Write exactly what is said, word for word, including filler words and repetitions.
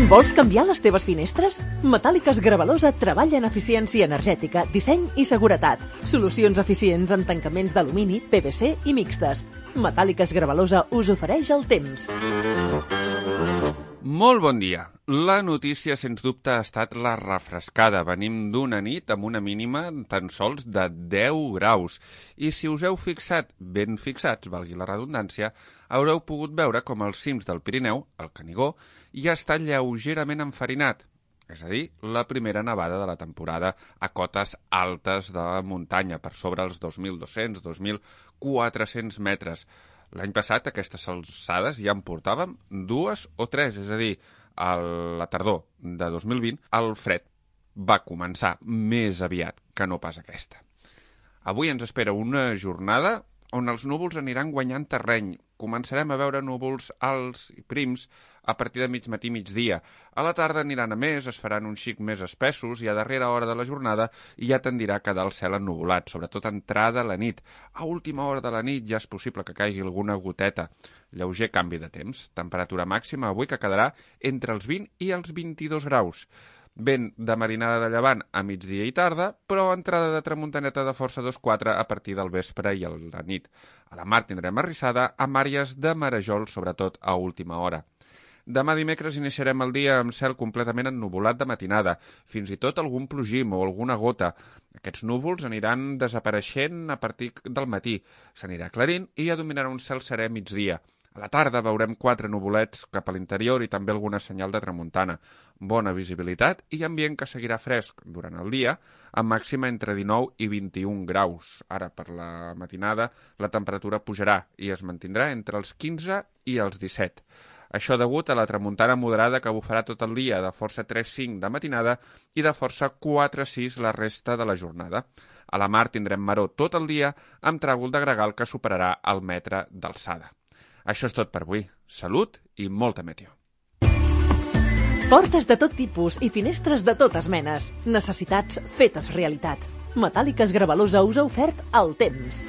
Vols canviar les teves finestres? Metàl·liques Gravalosa treballa en eficiència energètica, disseny i seguretat. Solucions eficients en tancaments d'alumini, P V C i mixtes. Metàl·liques Gravalosa us ofereix el temps. Molt bon dia. La notícia, sens dubte, ha estat la refrescada. Venim d'una nit amb una mínima tan sols de deu graus. I si us heu fixat, ben fixats, valgui la redundància, haureu pogut veure com els cims del Pirineu, el Canigó, ja està lleugerament enfarinat. És a dir, la primera nevada de la temporada a cotes altes de muntanya, per sobre els dos mil dos-cents, dos mil quatre-cents metres. L'any passat, a aquestes alçades, ja en portàvem dues o tres, és a dir, a la tardor de dos mil vint, el fred va començar més aviat que no pas aquesta. Avui ens espera una jornada on els núvols aniran guanyant terreny. Començarem a veure núvols alts i prims a partir de mig matí i migdia. A la tarda aniran a més, es faran un xic més espessos i a darrera hora de la jornada ja tendirà a quedar el cel ennuvolat, sobretot entrada a la nit. A última hora de la nit ja és possible que caigui alguna goteta. Lleuger canvi de temps. Temperatura màxima avui que quedarà entre els vint i els vint-i-dos graus. Vent de marinada de llevant a migdia i tarda, però entrada de tramuntaneta de força dos quatre a partir del vespre i a la nit. A la mar tindrem arrissada amb àrees de marejol, sobretot a última hora. Demà dimecres iniciarem el dia amb cel completament ennuvolat de matinada, fins i tot algun plogim o alguna gota. Aquests núvols aniran desapareixent a partir del matí. S'anirà aclarint i ja dominarà un cel serè migdia. A la tarda veurem quatre nuvolets cap a l'interior i també alguna senyal de tramuntana. Bona visibilitat i ambient que seguirà fresc durant el dia, amb màxima entre dinou i vint-i-un graus. Ara, per la matinada, la temperatura pujarà i es mantindrà entre els quinze i els disset. Això degut a la tramuntana moderada que bufarà tot el dia, de força tres cinc de matinada i de força quatre sis la resta de la jornada. A la mar tindrem maror tot el dia, amb tràgol de gregal que superarà el metre d'alçada. Això és tot per avui. Salut i molta meteo. Portes de tot tipus i finestres de totes menes. Necessitats fetes realitat. Metàl·liques Gravalosa us ha ofert el temps.